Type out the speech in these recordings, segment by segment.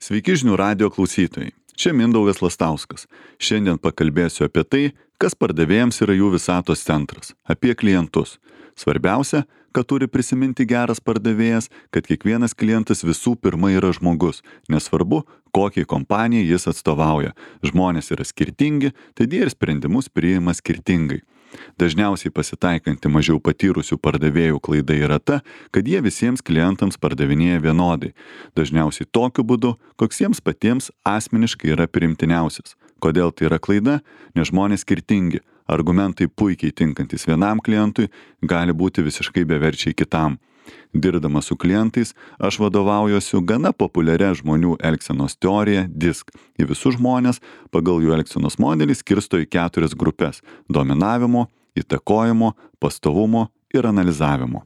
Sveiki žinių radijo klausytojai. Čia Mindaugas Lastauskas. Šiandien pakalbėsiu apie tai, kas pardavėjams yra jų visatos centras, apie klientus. Svarbiausia, kad turi prisiminti geras pardavėjas, kad kiekvienas klientas visų pirma yra žmogus, nesvarbu, kokiai kompanijai jis atstovauja. Žmonės yra skirtingi, tad jie ir sprendimus priima skirtingai. Dažniausiai pasitaikanti mažiau patyrusių pardavėjų klaida yra ta, kad jie visiems klientams pardavinėja vienodai. Dažniausiai tokiu būdu, koks jiems patiems asmeniškai yra priimtiniausias. Kodėl tai yra klaida? Nes žmonės skirtingi. Argumentai puikiai tinkantis vienam klientui gali būti visiškai beverčiai kitam. Dirbdamas su klientais, aš vadovaujuosi gana populiaria žmonių elgsenos teorija DISC. Į visus žmonės pagal jų elgsenos modelį skirsto į 4 grupės – dominavimo, įtakojimo, pastovumo ir analizavimo.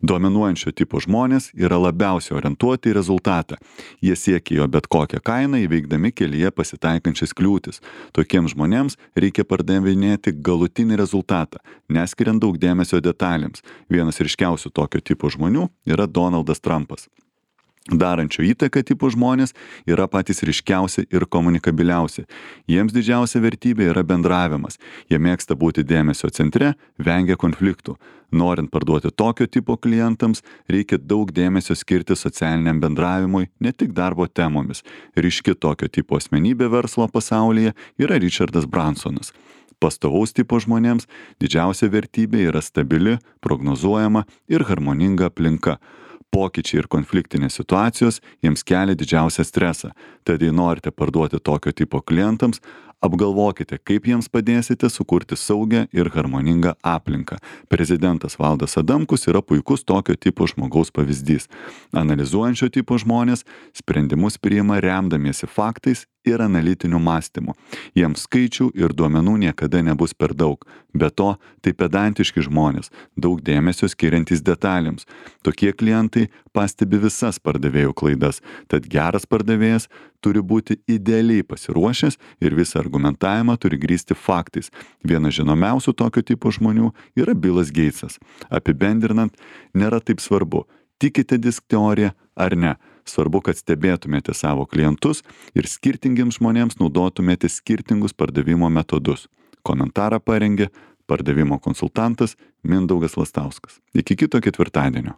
Dominuojančio tipo žmonės yra labiausiai orientuoti į rezultatą. Jie siekia jo bet kokią kainą įveikdami kelyje pasitaikančias kliūtis. Tokiems žmonėms reikia pardavinėti galutinį rezultatą, neskiriant daug dėmesio detalėms. Vienas ryškiausių tokio tipo žmonių yra Donaldas Trumpas. Darančio įtaką tipo žmonės yra patys ryškiausi ir komunikabiliausi. Jiems didžiausia vertybė yra bendravimas. Jie mėgsta būti dėmesio centre, vengia konfliktų. Norint parduoti tokio tipo klientams, reikia daug dėmesio skirti socialiniam bendravimui, ne tik darbo temomis. Ryški tokio tipo asmenybė verslo pasaulyje yra Richardas Bransonas. Pastovaus tipo žmonėms didžiausia vertybė yra stabili, prognozuojama ir harmoninga aplinka. Pokyčiai ir konfliktinės situacijos jiems kelia didžiausią stresą. Tad jei norite parduoti tokio tipo klientams, apgalvokite, kaip jiems padėsite sukurti saugią ir harmoningą aplinką. Prezidentas Valdas Adamkus yra puikus tokio tipo žmogaus pavyzdys. Analizuojančio tipo žmonės sprendimus priima remdamiesi faktais ir analitiniu mąstymu. Jiems skaičių ir duomenų niekada nebus per daug. Be to, tai pedantiški žmonės, daug dėmesio skiriantys detalėms. Tokie klientai pastebi visas pardavėjų klaidas, tad geras pardavėjas turi būti idealiai pasiruošęs ir visą argumentavimą turi grįsti faktais. Vienas žinomiausių tokio tipo žmonių yra Bilas Geitsas. Apibendrinant, nėra taip svarbu, tikite DISC teoriją ar ne. Svarbu, kad stebėtumėte savo klientus ir skirtingiems žmonėms naudotumėte skirtingus pardavimo metodus. Komentarą parengė pardavimo konsultantas Mindaugas Lastauskas. Iki kito ketvirtadienio.